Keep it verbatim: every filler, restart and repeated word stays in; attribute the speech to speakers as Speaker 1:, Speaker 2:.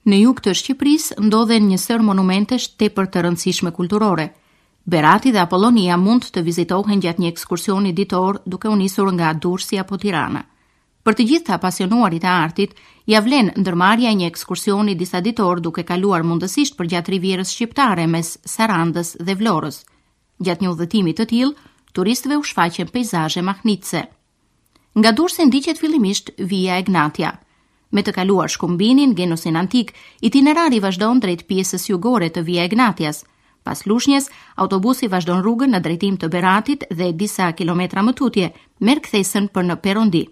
Speaker 1: Në jug të Shqipërisë ndodhen një sërë monumentesh tepër të rëndësishme kulturore. Berati dhe Apollonia mund të vizitohen gjatë një ekskursioni ditor duke u nisur nga Durrësi apo Tirana. Për të gjithë të apasionuarit e artit, ja vlen ndërmarrja e një ekskursioni disa ditor duke kaluar mundësisht përgjatë rivierës shqiptare mes Sarandës dhe Vlorës. Gjatë një udhëtimi të tillë, turistëve u shfaqen peizazhe mahnitëse. Nga Durrësi ndiqet fillimisht Via Egnatia. Me të kaluar Shkumbinin, Genosin antik, itinerari vazhdon drejt pjesës jugore të Via Egnatias. Pas Lushnjes, autobusi vazhdon rrugën në drejtim të Beratit dhe disa kilometra më tutje merr kthesën për në Perondi.